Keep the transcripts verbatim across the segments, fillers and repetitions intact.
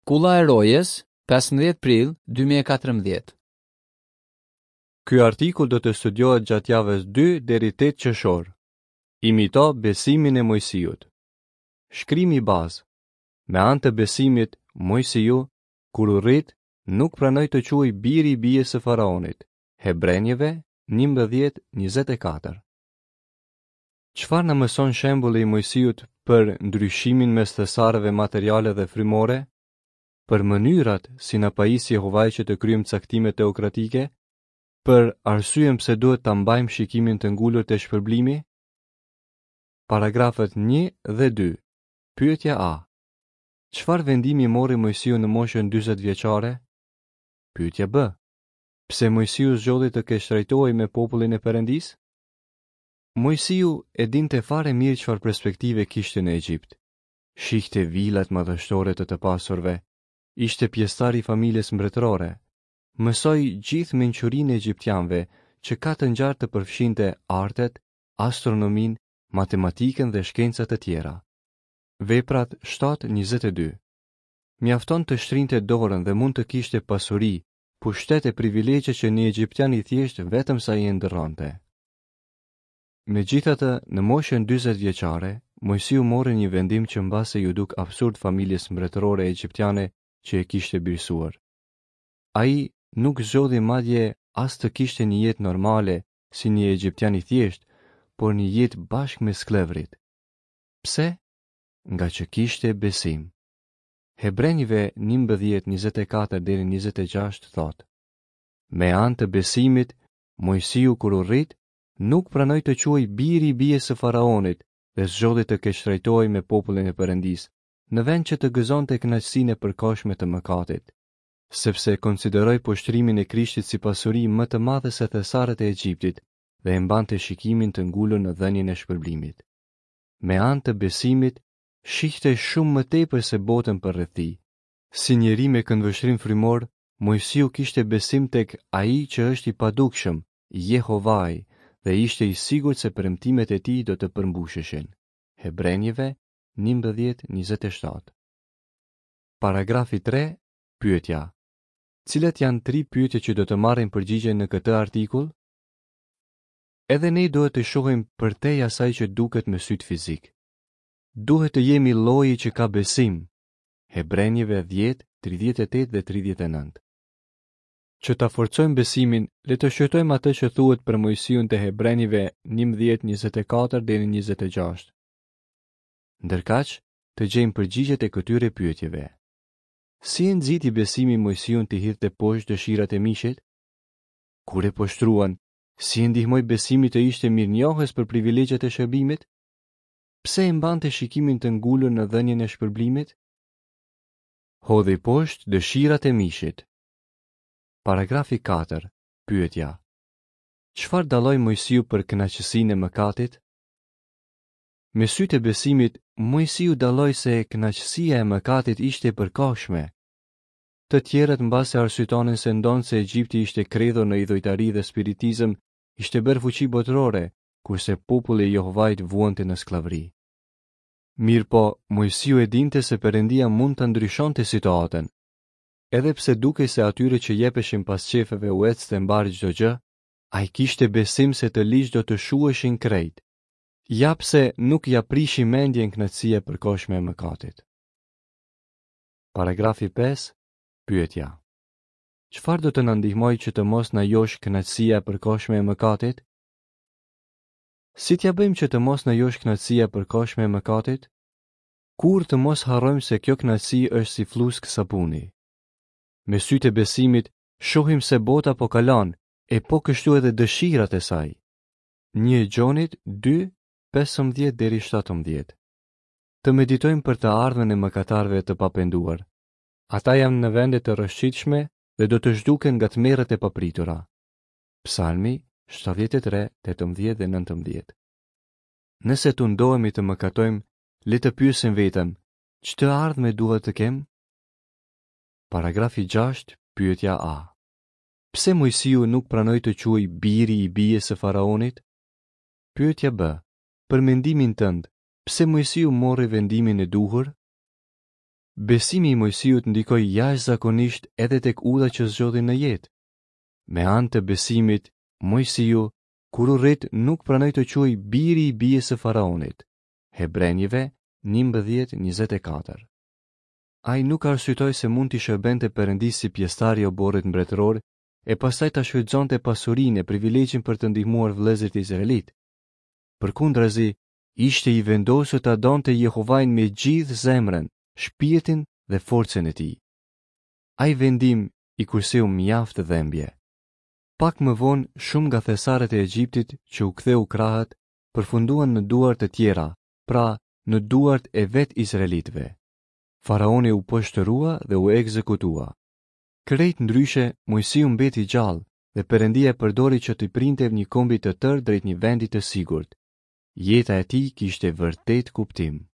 Kulla e Rojes, pesëmbëdhjetë prill dy mijë e katërmbëdhjetë. Ky artikull do të studiohet gjatë javës dy deri tetë qershor. Imito besimin e Moisiut. Shkrimi bazë. Me anë të besimit, Moisiu, kur u rrit, nuk pranoi të quhej biri i bijës së faraonit. Hebrenjve njëmbëdhjetë njëzet e katër. Çfarë na mëson shembulli i Moisiut për ndryshimin mes thesareve materiale dhe frymore? Për mënyrat si na pajis Jehovai që të kryejmë caktime teokratike? Për arsyen pse duhet ta mbajmë shikimin të ngulur te shpërblimi? Paragrafët një dhe dy. Pyetja A. Çfarë vendimi mori Moisiu në moshën dyzet vjeçare? Pyetja B. Pse Moisiu zgjodhi të keqtrajtohej me popullin e Perëndisë? Moisiu e dinte fare mirë çfarë perspektive kishte në Egjipt. Shihte vilat madhështore të të pasurve, ishte pjesëtar i familjes mbretërore. Mësoi gjithë mençurinë e egjiptianëve që ka të ngjarë të përfshinte artet, astronominë, matematikën dhe shkenca të tjera. Veprat shtatë njëzet e dy. Mjafton të shtrinte dorën dhe mund të kishte pasuri, pushtet e privilegje që një egjiptian i thjeshtë vetëm sa i ëndërronte. Megjithatë, në moshën dyzet vjeçare, Moisiu mori një vendim që mbase ju duk absurd familjes mbretërore egjiptiane që e kishte birësuar. Ai nuk zgjodhi madje as të kishte një jetë normale si një egjiptian i thjeshtë, por një jetë bashkë me sklevrit. Pse? Nga që kishte besim. Hebrenjve njëmbëdhjetë njëzet e katër deri njëzet e gjashtë thotë: Me anë të besimit, Moisiu kur u rrit, nuk pranoi të quhej biri i bijës së faraonit dhe zgjodhi të keqtrajtohej me popullin e Perëndisë, në vend që të gëzonte kënaqësinë e përkohshme të mëkatit, sepse konsideroi poshtrimin e Krishtit si pasuri më të madhe se thesaret e Egjiptit dhe e mbante shikimin të ngulur në dhënien e shpërblimit. Me anë të besimit, shihte shumë më tepër se botën përreth tij. Si njeri me këndvështrim frymor, Moisiu kishte besim tek ai që është i padukshëm, Jehovai, dhe ishte i sigurt se premtimet e tij do të përmbusheshin. Hebrenjve njëmbëdhjetë njëzet e shtatë. Paragrafi tre, pyetja. Cilat janë tri pyetje që do të marrin përgjigje në këtë artikull? Edhe ne duhet të shohim përtej asaj që duket me syt fizik. Duhet të jemi lloji që ka besim. Hebrenjve dhjetë, tridhjetë e tetë dhe tridhjetë e nëntë. Që ta forcojmë besimin, le të shqyrtojmë atë që thuhet për Moisiun te Hebrenjve njëmbëdhjetë njëzet e katër deri njëzet e gjashtë. Ndërkaq, të gjejmë përgjigjet e këtyre pyetjeve. Si e nxiti besimi Moisiun të hidhte poshtë dëshirat e mishit? Kur e poshtruan, si e ndihmoi besimi të ishte mirënjohës për privilegjet e shërbimit? Pse e mbante shikimin të ngulur në dhënien e shpërblimit? Hodhi poshtë dëshirat e mishit. Paragrafi katër, pyetja. Çfarë dalloi Moisiu për kënaqësinë e mëkatit? Me sytë e besimit, Moisiu dalloi se kënaqësia e mëkatit ishte e përkohshme. Të tjerët mbase arsyetonin se ndonëse Egjipti ishte kredhur në idhujtari dhe spiritizëm, ishte bërë fuqi botërore, kurse populli i Jehovait vuante në sklavëri. Mirëpo, Moisiu e dinte se Perëndia mund ta ndryshonte situatën. Edhe pse dukej se atyre që jepeshin pas qefeve u ecte mbar çdo gjë, ai kishte besim se të ligj do të shuheshin krejt. Ja pse nuk ja prishi mendjen kënaqësia e përkohshme e mëkatit. Paragrafi pesë, pyetja. Çfarë do të na ndihmojë që të mos na josh kënaqësia e përkohshme e mëkatit? Si t'ja bëjmë që të mos na josh kënaqësia e përkohshme e mëkatit? Kur të mos harrojmë se kjo kënaqësi është si flusk sapuni. Me sytë e besimit, shohim se bota po kalon, e po kështu edhe dëshirat e saj. Një Gjonit dy, pesëmbëdhjetë deri shtatëmbëdhjetë. Të meditojmë për të ardhmen e mëkatarëve të papenduar. Ata janë në vende të rrëshqitshme dhe do të zhduken nga tmerret e papritura. Psalmi shtatëdhjetë e tre, tetëmbëdhjetë dhe nëntëmbëdhjetë. Nëse tundohemi të mëkatojmë, le të pyesim veten, ç'të ardhme duhet të kem? Paragrafi gjashtë, pyetja A. Pse Moisiu nuk pranoi të quhej biri i bijës së faraonit? Pyetja B. Për mendimin tënd, pse Moisiu mori vendimin e duhur? Besimi i Moisiut ndikoi jashtëzakonisht edhe tek udha që zgjodhi në jetë. Me anë të besimit, Moisiu, kur u rrit, nuk pranoi të quhej biri i bijës së faraonit. Hebrenjve njëmbëdhjetë njëzet e katër. Ai nuk arsyetoi se mund t'i shërbente Perëndisë si pjesëtar i oborrit mbretëror e pastaj ta shfrytëzonte pasurinë e privilegjin për të ndihmuar vëllezërit izraelit. Përkundrazi, ishte i vendosur ta donte Jehovain me gjithë zemrën, shpirtin dhe forcën e tij. Ai vendim i kurseu mjaft dhembje. Pak më vonë, shumë nga thesarët e Egjiptit që u ktheu krahët, përfunduan në duar të tjera, pra në duart e vetë izraelitëve. Faraoni u poshtërua dhe u ekzekutua. Krejt ndryshe, Moisiu mbeti gjallë dhe Perëndia e përdori që t'i printe një kombi të tërë drejt një vendi të sigurt. Jeta e tij kishte vërtet kuptim.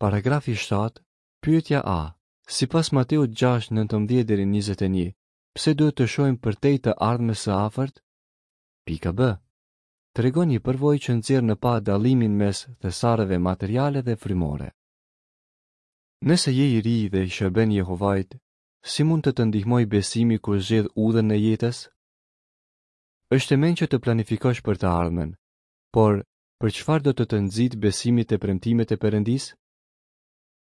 Paragrafi shtatë, pyetja A. Sipas Mateut gjashtë nëntëmbëdhjetë deri njëzet e një, pse duhet të shohim përtej të ardhmes së afërt? Pika B. Tregon një përvojë që nxjerr në pah dallimin mes thesareve materiale dhe frymore. Nëse je i ri dhe i shërben Jehovait, si mund të të ndihmojë besimi kur zgjedh udhën e jetës? Është e mençur të planifikosh për të ardhmen, por për çfarë do të të nxitë besimi te premtimet e Perëndisë?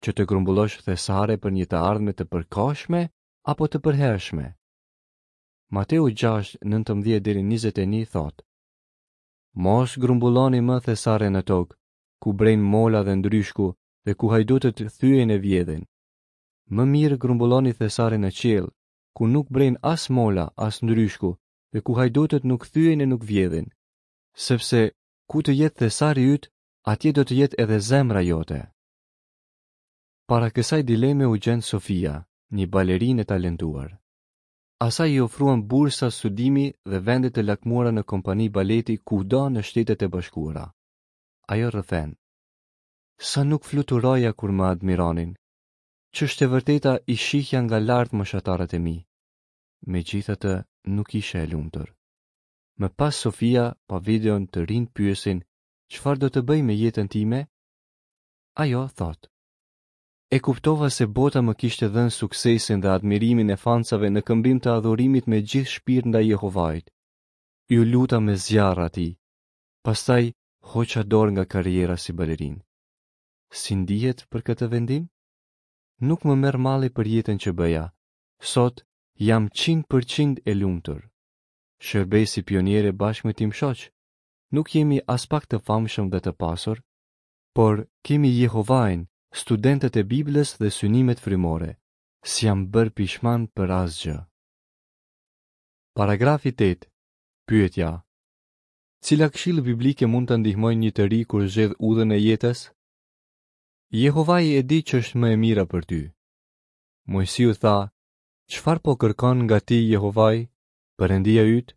Që të grumbullosh thesare për një të ardhme të përkohshme apo të përhershme? Mateu gjashtë nëntëmbëdhjetë deri njëzet e një thotë: Mos grumbulloni më thesare në tokë, ku brejnë mola dhe ndryshku dhe ku hajdutët thyejnë e vjedhin. Më mirë grumbulloni thesare në qiell, ku nuk brejnë as mola, as ndryshku, dhe ku hajdutët nuk thyejnë e nuk vjedhin. Sepse ku të jetë thesari yt, atje do të jetë edhe zemra jote. Para kësaj dileme u gjend Sofia, një balerinë e talentuar. Asaj i ofruan bursa studimi dhe vende të lakmuara në kompani baleti kudo në Shtetet e Bashkuara. Ajo rrëfen: Sa nuk fluturoja kur më admironin. Ç'është e vërteta, i shihja nga lart moshatarët e mi. Megjithatë, nuk isha e lumtur. Më pas Sofia pa videon të rinj pyesin, çfarë do të bëj me jetën time? Ajo thotë: E kuptova se bota më kishte dhënë suksesin dhe admirimin e fansave në këmbim të adhurimit me gjithë shpirt ndaj Jehovait. Iu luta me zjarr atij. Pastaj hoqa dorë nga karriera si balerin. Si ndihet për këtë vendim? Nuk më merr malli për jetën që bëja. Sot jam qind për qind e lumtur. Shërbej si pioniere bashkë me tim shoq. Nuk jemi as pak të famshëm dhe të pasur, por kemi Jehovain, studentët e Biblës dhe synimet frymore. S'jam bërë pishman për asgjë. Paragrafi tetë. Pyetja: Cila këshillë biblike mund të ndihmojë një të ri kur zgjedh udhën e jetës? Jehovai e di që është më e mira për ty. Moisiu tha: Çfarë po kërkon nga ti Jehovai, Perëndia yt,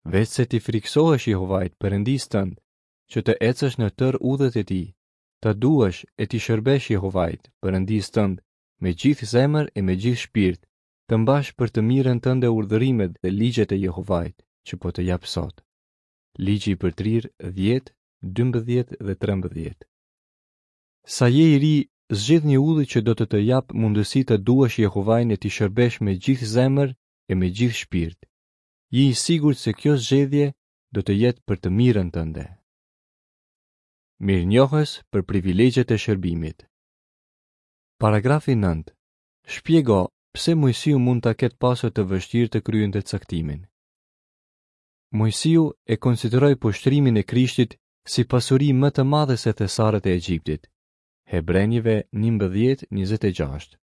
veç se ti friksohesh Jehovait, Perëndisë tënd, që të ecësh në tërë udhët e tij, të duash e ti shërbesh Jehovait, Perëndisë tënd, me gjithë zemër e me gjithë shpirt, të mbash për të mirën tënde urdhërimet dhe ligjet e Jehovait, që po të jap sot. Ligji i përtrirë dhjetë, dymbëdhjetë dhe trembëdhjetë. Sa je i ri, zgjidh një udhë që do të të jap mundësi të duash Jehovain e ti shërbesh me gjithë zemër e me gjithë shpirt. Je i sigurt se kjo zgjedhje do të jetë për të mirën tënde. Mirënjohës për privilegjet e shërbimit. Paragrafi nëntë. Shpjego pse Moisiu mund ta ketë pasur të vështirë të kryente caktimin. Moisiu e konsideroi poshtrimin e Krishtit si pasuri më të madhe se thesarët e Egjiptit. Hebrenjve njëmbëdhjetë njëzet e gjashtë.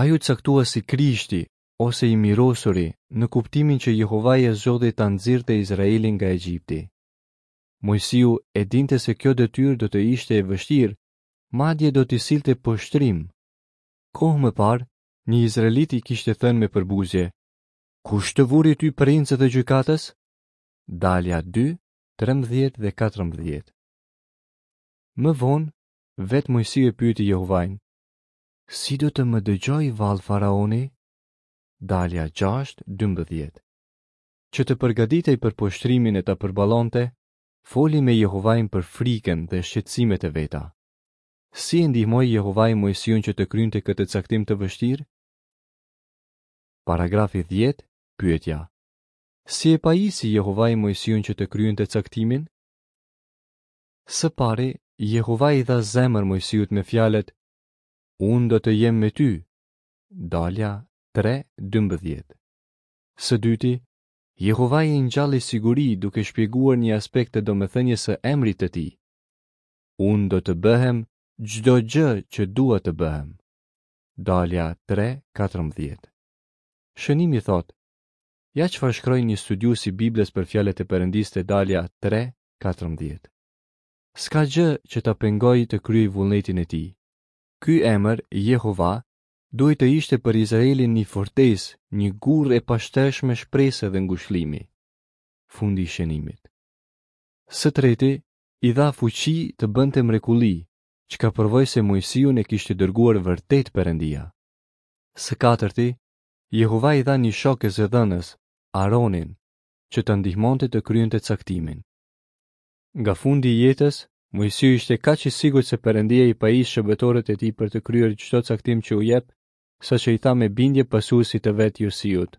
Ai u caktua si Krishti ose i mirosuri në kuptimin që Jehovai e zgjodhi ta nxirrte Izraelin nga Egjipti. Moisiu e dinte se kjo detyrë do të ishte e vështirë, madje do t'i sillte poshtrim. Kohë më parë, një izraelit i kishte thënë me përbuzje: Kush të vuri ty princ dhe gjykatës? Dalja dy, trembëdhjetë dhe katërmbëdhjetë. Më vonë, vetë Moisiu e pyeti Jehovain: Si do të më dëgjoj vallë faraoni? Dalja gjashtë, dymbëdhjetë. Që të përgatitej për poshtrimin e ta përballonte, foli me Jehovain për frikën dhe shqetësimet e veta. Si e ndihmoi Jehovai Moisiun që të kryente këtë caktim të vështirë? Paragrafi dhjetë, pyetja. Si e pajisi Jehovai Moisiun që të kryente caktimin? Së pari, Jehovai i dha zemër Moisiut me fjalët: Unë do të jem me ty. Dalja tre dymbëdhjetë. Së dyti, Jehovai i ngjalli siguri duke shpjeguar një aspekt të domethënies së emrit të tij. Unë do të bëhem çdo gjë që dua të bëhem. Dalja tre katërmbëdhjetë. Shënimi thotë: Ja çfarë shkroi një studiues i Biblës për fjalët e Perëndisë te Dalja tre katërmbëdhjetë. S'ka gjë që ta pengojë të kryejë vullnetin e tij. Ky emër, Jehova, duhej të ishte për Izraelin një fortesë, një gurrë e pashtershme shprese dhe ngushëllimi. Fundi i shënimit. Së treti, i dha fuqi të bënte mrekulli, çka provoi se Moisiun e kishte dërguar vërtet Perëndia. Së katërti, Jehova i dha një shok e zëdhënës, Aaronin, që ta ndihmonte të kryente caktimin. Nga fundi i jetës, Moisiu ishte kaq i sigurt se Perëndia i pajis shërbëtorët e tij për të kryer çdo caktim që u jep, saqë i tha me bindje pasuesit të vet Josiut: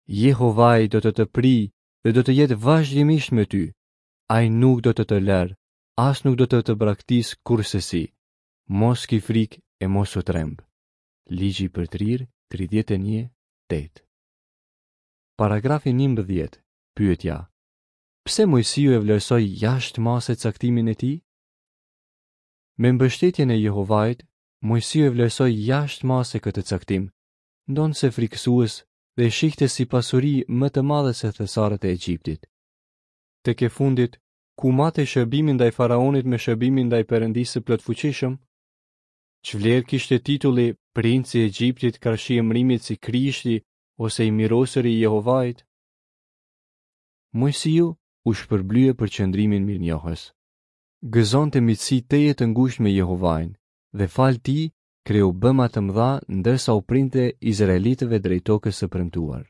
Jehovai do të të prijë dhe do të jetë vazhdimisht me ty. Ai nuk do të të lërë, as nuk do të të braktis kurrsesi. Mos ki frikë e mos u tremb. Ligji i përtrirë tridhjetë e një tetë. Paragrafi njëmbëdhjetë. Pyetja: Pse Moisiu e vlerësoi jashtë mase caktimin e tij? Me mbështetjen e Jehovait, Moisiu e vlerësoi jashtë mase këtë caktim, ndonëse frikësues, dhe e shihte si pasuri më të madhe se thesarët e Egjiptit. Tek e fundit, ku matej shërbimi ndaj faraonit me shërbimin ndaj Perëndisë së plotfuqishëm? Ç'vlerë kishte titulli Princi i Egjiptit karshi emërimit si Krishti ose i mirosuri i Jehovait? Moisiu u shpërblye për qëndrimin mirënjohës. Gëzonte miqësi tejet të ngushtë me Jehovain dhe fal tij kreu bëma të mëdha ndërsa u printe izraelitëve drejt tokës së premtuar.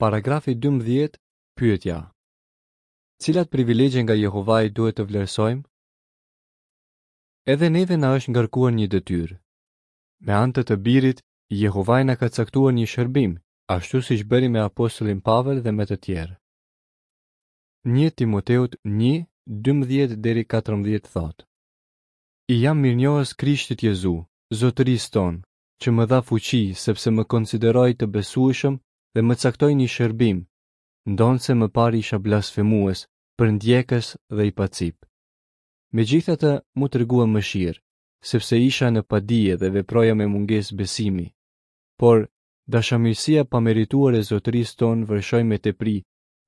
Paragrafi dymbëdhjetë, pyetja: Cilat privilegje nga Jehovai duhet të vlerësojmë? Edhe neve na është ngarkuar një detyrë. Me anë të të birit, Jehovai na ka caktuar një shërbim, ashtu siç bëri me apostullin Pavel dhe me të tjerë. Një Timoteut një, dymbëdhjetë deri katërmbëdhjetë thotë: I jam mirënjohës Krishtit Jezu, Zotërisë tonë, që më dha fuqi sepse më konsideroi të besueshëm dhe më caktoi një shërbim, ndonëse më parë isha blasfemues, përndjekës dhe i pacip. Megjithatë, mu tregua mëshirë, sepse isha në padije dhe veproja me mungesë besimi. Por, dashamirësia pamerituar e Zotërisë tonë vërshoi me tepri,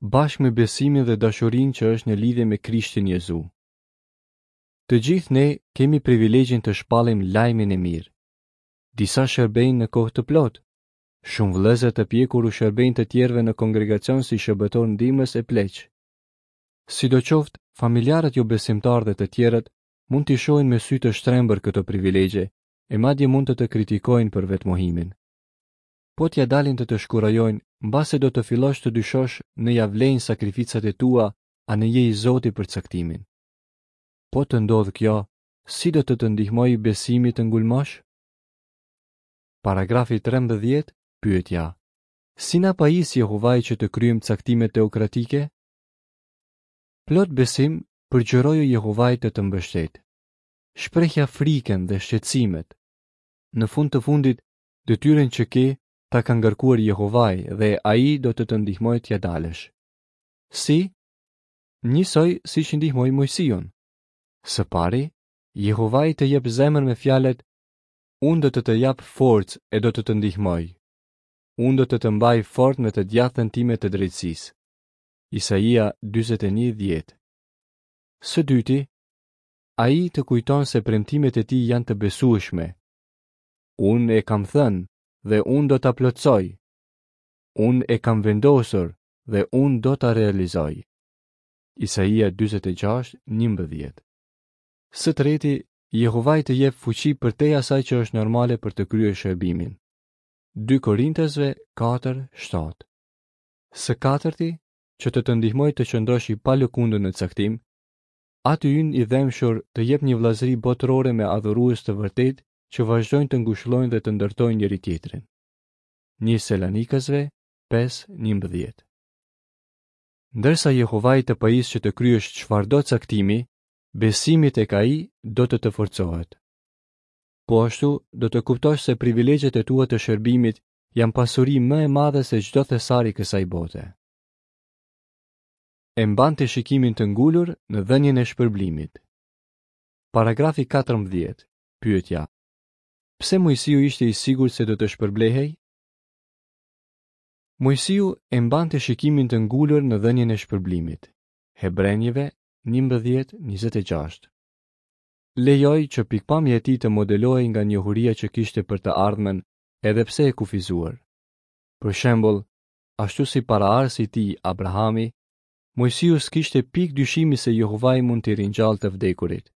bashkë me besimin dhe dashurinë që është në lidhje me Krishtin Jezu. Të gjithë ne kemi privilegjin të shpallim lajmin e mirë. Disa shërbejnë në kohë të plotë. Shumë vëllezër të pjekur u shërbejnë të tjerëve në kongregacion si shërbëtor ndihmës e pleq. Sidoqoftë, familjarët jo besimtarë dhe të tjerët mund t'i shohin me sy të shtrembër këto privilegje, e madje mund të të kritikojnë për vetmohimin. Po t'ja dalin të të shkurajojnë, mbase do të fillosh të dyshosh në ja vlejnë sakrificat e tua, a në je i Zoti për caktimin. Po të ndodhë kjo, si do të të ndihmojë besimi të ngulmosh? Paragrafi trembëdhjetë, pyetja: Si na pajis Jehovai që të kryejmë caktimet teokratike? Plot besim, përgjëroju Jehovait të të mbështet. Shprehja frikën dhe shqetësimet. Në fund të fundit, detyrën që ke ta ka ngarkuar Jehovai dhe ai do të të ndihmojë t'ja dalësh. Si? Njësoj siç ndihmoi Moisiun. Së pari, Jehovai të jep zemër me fjalët: Unë do të të jap forcë e do të të ndihmoj. Unë do të të mbaj fort me të djathtën time të drejtësisë. Isaia dyzet e një dhjetë. Së dyti, ai të kujton se premtimet e tij janë të besueshme. Unë e kam thënë dhe unë do ta plotësoj. Unë e kam vendosur dhe unë do ta realizoj. Isaia dyzet e gjashtë, njëmbëdhjetë. Së treti, Jehovai të jep fuqi përtej asaj që është normale për të kryer shërbimin. Dy Korintësve katër, shtatë. Së katërti, që të të ndihmoj të qëndrosh i palëkundur në caktim, Ati ynë i dhembshur të jep një vëllazëri botërore me adhurues të vërtetë që vazhdojnë të ngushëllojnë dhe të ndërtojnë njëri tjetrin. Një Selanikasve pesë njëmbëdhjetë. Ndërsa Jehovai të pajis që të kryesh çfarëdo caktimi, besimi tek ai do të të forcohet. Po ashtu, do të kuptosh se privilegjet e tua të shërbimit janë pasuri më e madhe se çdo thesar i kësaj bote. E mbante shikimin të ngulur në dhënien e shpërblimit. Paragrafi katërmbëdhjetë. Pyetja: Pse Moisiu ishte i sigurt se do të shpërblehej? Moisiu e mbante shikimin të ngulur në dhënien e shpërblimit. Hebrenjve njëmbëdhjetë njëzet e gjashtë. Lejoi që pikpamja e tij të modelohej nga njohuria që kishte për të ardhmen, edhe pse e kufizuar. Për shembull, ashtu si paraardhësi i tij Abrahami, Moisiu s'kishte pikë dyshimi se Jehovai mund t'i ringjallë të vdekurit.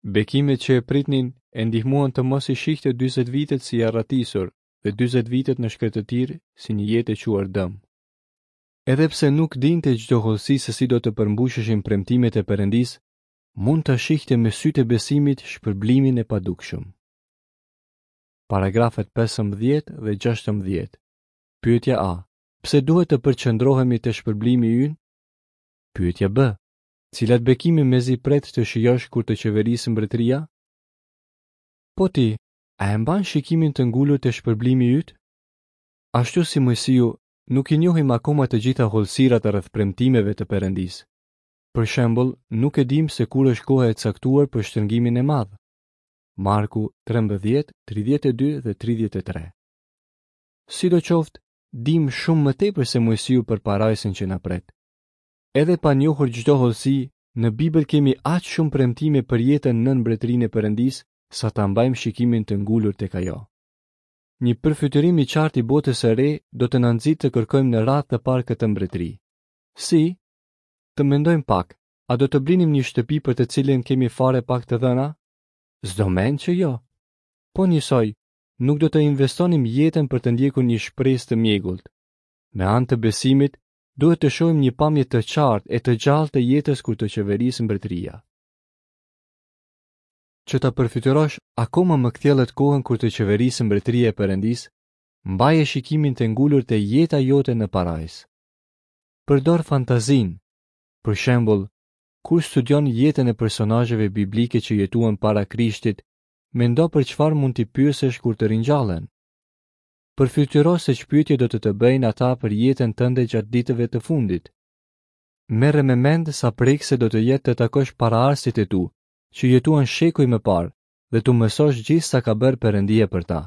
Bekimet që e pritnin e ndihmuan të mos i shihte dyzet vitet si arratisur dhe dyzet vitet në shkretëtirë si një jetë e quar dëm. Edhe pse nuk dinte çdo hollësi se si do të përmbusheshin premtimet e Perëndisë, mund ta shihte me sytë e besimit shpërblimin e padukshëm. Paragrafet pesëmbëdhjetë dhe gjashtëmbëdhjetë. Pyetja A. Pse duhet të përqendrohemi te shpërblimi ynë? Pyetja B. Cilat bekime mezi pret të shijosh kur të qeverisë mbretëria? Po ti, a e mban shikimin të ngulur te shpërblimi yt? Ashtu si Moisiu, nuk i njohim akoma të gjitha hollësirat rreth premtimeve të Perëndisë. Për shembull, nuk e dim se kur është koha e caktuar për shtrëngimin e madh. Marku trembëdhjetë, tridhjetë e dy dhe tridhjetë e tre. Sidoqoftë, dim shumë më tepër se Moisiu për parajsën që na pret. Edhe pa njohur çdo hollësi, në Bibël kemi aq shumë premtime për jetën nën mbretërinë e Perëndisë sa ta mbajmë shikimin të ngulur tek ajo. Një përfytyrim i qartë i botës së re do të na nxitë të kërkojmë në radhë të parë këtë mbretëri. Si? Të mendojmë pak, a do të blinim një shtëpi për të cilën kemi fare pak të dhëna? S'do mend që jo. Po njësoj, nuk do të investonim jetën për të ndjekur një shpresë të mjegullt. Me anë të besimit, duhet të shohim një pamje të qartë e të gjallë të jetës kur të qeverisë mbretëria. Që ta përfytyrosh akoma më kthjellët kohën kur të qeverisë mbretëria e Perëndisë, mbaje shikimin të ngulur te jeta jote në parajsë. Përdor fantazinë. Për shembull, kur studion jetën e personazheve biblike që jetuan para Krishtit, mendo për çfarë mund t'i pyesësh kur të ringjallen. Përfytyro se ç'pyetje do të të bëjnë ata për jetën tënde gjatë ditëve të fundit. Merre me mend sa prekse do të jetë të takosh paraardhësit e tu, që jetuan shekuj më parë, dhe t'u mësosh gjithë sa ka bërë Perëndia për ta.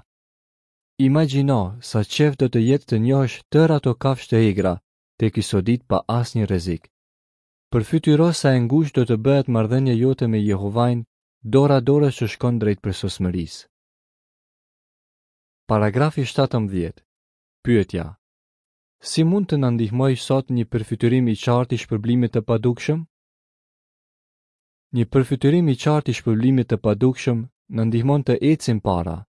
Imagjino sa qef do të jetë të njohësh tërë ato kafshë të egra, tek i sodit pa asnjë rrezik. Përfytyro sa e ngushtë do të bëhet marrëdhënia jote me Jehovain, dora dorës që shkon drejt përsosmërisë. Paragrafi shtatëmbëdhjetë. Pyetja: Si mund të na ndihmojë sot një përfytyrim i qartë i shpërblimit të padukshëm? Një përfytyrim i qartë i shpërblimit të padukshëm na ndihmon të ecim para,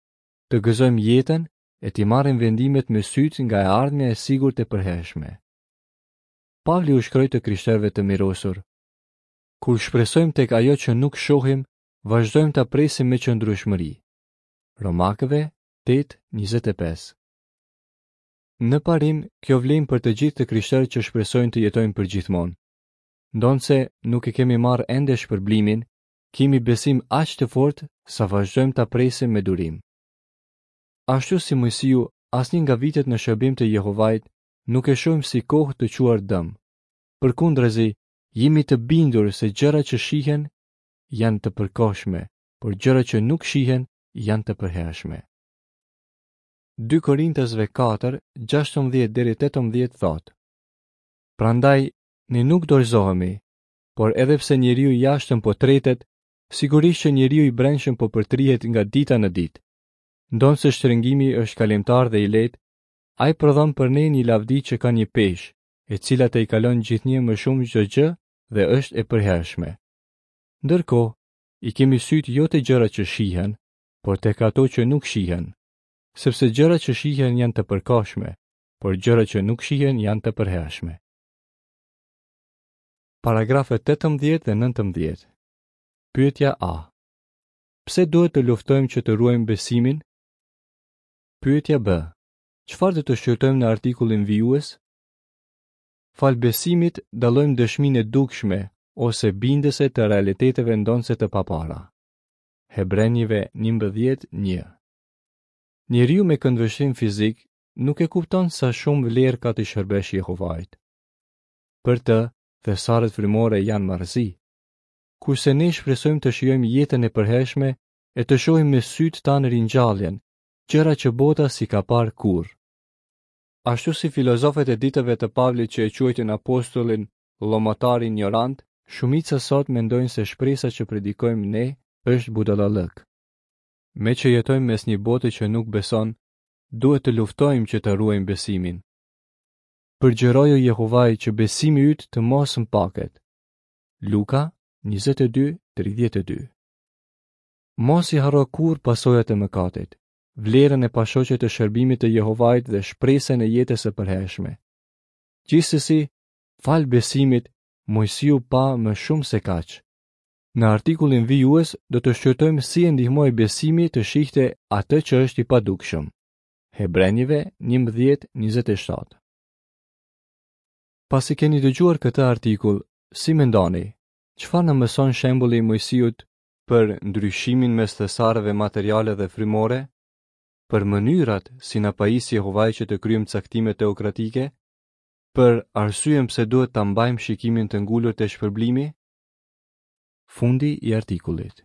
të gëzojmë jetën e t'i marrim vendimet me sytë nga e ardhmja e sigurt e përhershme. Pavli u shkroi të krishterëve të mirosur: Kur shpresojmë tek ajo që nuk shohim, vazhdojmë ta presim me qëndrueshmëri. Romakëve tetë njëzet e pesë. Në parim, kjo vlen për të gjithë të krishterët që shpresojnë të jetojnë përgjithmonë. Ndonse nuk e kemi marrë ende shpërblimin, kemi besim aq të fortë sa vazhdojmë ta presim me durim. Ashtu si Moisiu, asnjë nga vitet në shërbim të Jehovait nuk e shohim si kohë të quar dëm. Përkundrazi, jemi të bindur se gjërat që shihen janë të përkohshme, por gjërat që nuk shihen janë të përhershme. Dy Korintasve katër, gjashtëmbëdhjetë deri tetëmbëdhjetë thotë: Prandaj ne nuk dorëzohemi, por edhe pse njeriu i jashtëm po tretet, sigurisht që njeriu i brendshëm po përtrihet nga dita në ditë. Ndonëse shtrëngimi është kalimtar dhe i lehtë, ai prodhon për ne një lavdi që ka një peshë, e cila te i kalon gjithnjë më shumë çdo gjë dhe është e përhershme. Ndërkohë, i kemi sytë jo te gjërat që shihen, por tek ato që nuk shihen, sepse gjërat që shihen janë të përkohshme, por gjërat që nuk shihen janë të përhershme. Paragrafët tetëmbëdhjetë dhe nëntëmbëdhjetë. Pyetja A. Pse duhet të luftojmë që të ruajmë besimin? Pyetja B. Çfarë do të shqyrtojmë në artikullin vijues? Falë besimit dallojmë dëshminë e dukshme ose bindëse të realiteteve ndonëse të papara. Hebrenjve njëmbëdhjetë një. Njeriu me këndvështrim fizik nuk e kupton sa shumë vlerë ka të shërbesh Jehovait. Për të, thesaret frymore janë marrëzi. Kurse ne shpresojmë të shijojmë jetën e përhershme e të shohim me sytë tanë ringjalljen, gjëra që bota si ka parë kurrë. Ashtu si filozofët e ditëve të Pavlit që e quajtën apostullin llomotar ignorant, shumica sot mendojnë se shpresa që predikojmë ne është budallallëk. Me që jetojmë mes një bote që nuk beson, duhet të luftojmë që të ruajmë besimin. Përgjëroju Jehovai që besimi yt të mos mpaket. Luka njëzet e dy, tridhjetë e dy. Mos i harro kurrë pasojat e mëkatit, vlerën e pashoqe të shërbimit të Jehovait dhe shpresën e jetës së përhershme. Gjithsesi, fal besimit, Moisiu pa më shumë se kaq. Në artikullin vijues do të shqyrtojmë si e ndihmoi besimi të shihte atë që është i padukshëm. Hebrenjve njëmbëdhjetë njëzet e shtatë. Pasi keni dëgjuar këtë artikull, si mendoni, çfarë na mëson shembulli i Moisiut për ndryshimin mes thesareve materiale dhe frymore? Për mënyrat si na pajis Jehovai që të kryejmë caktime teokratike? Për arsyen pse duhet ta mbajmë shikimin të ngulur te shpërblimi? Fundi i artikullit.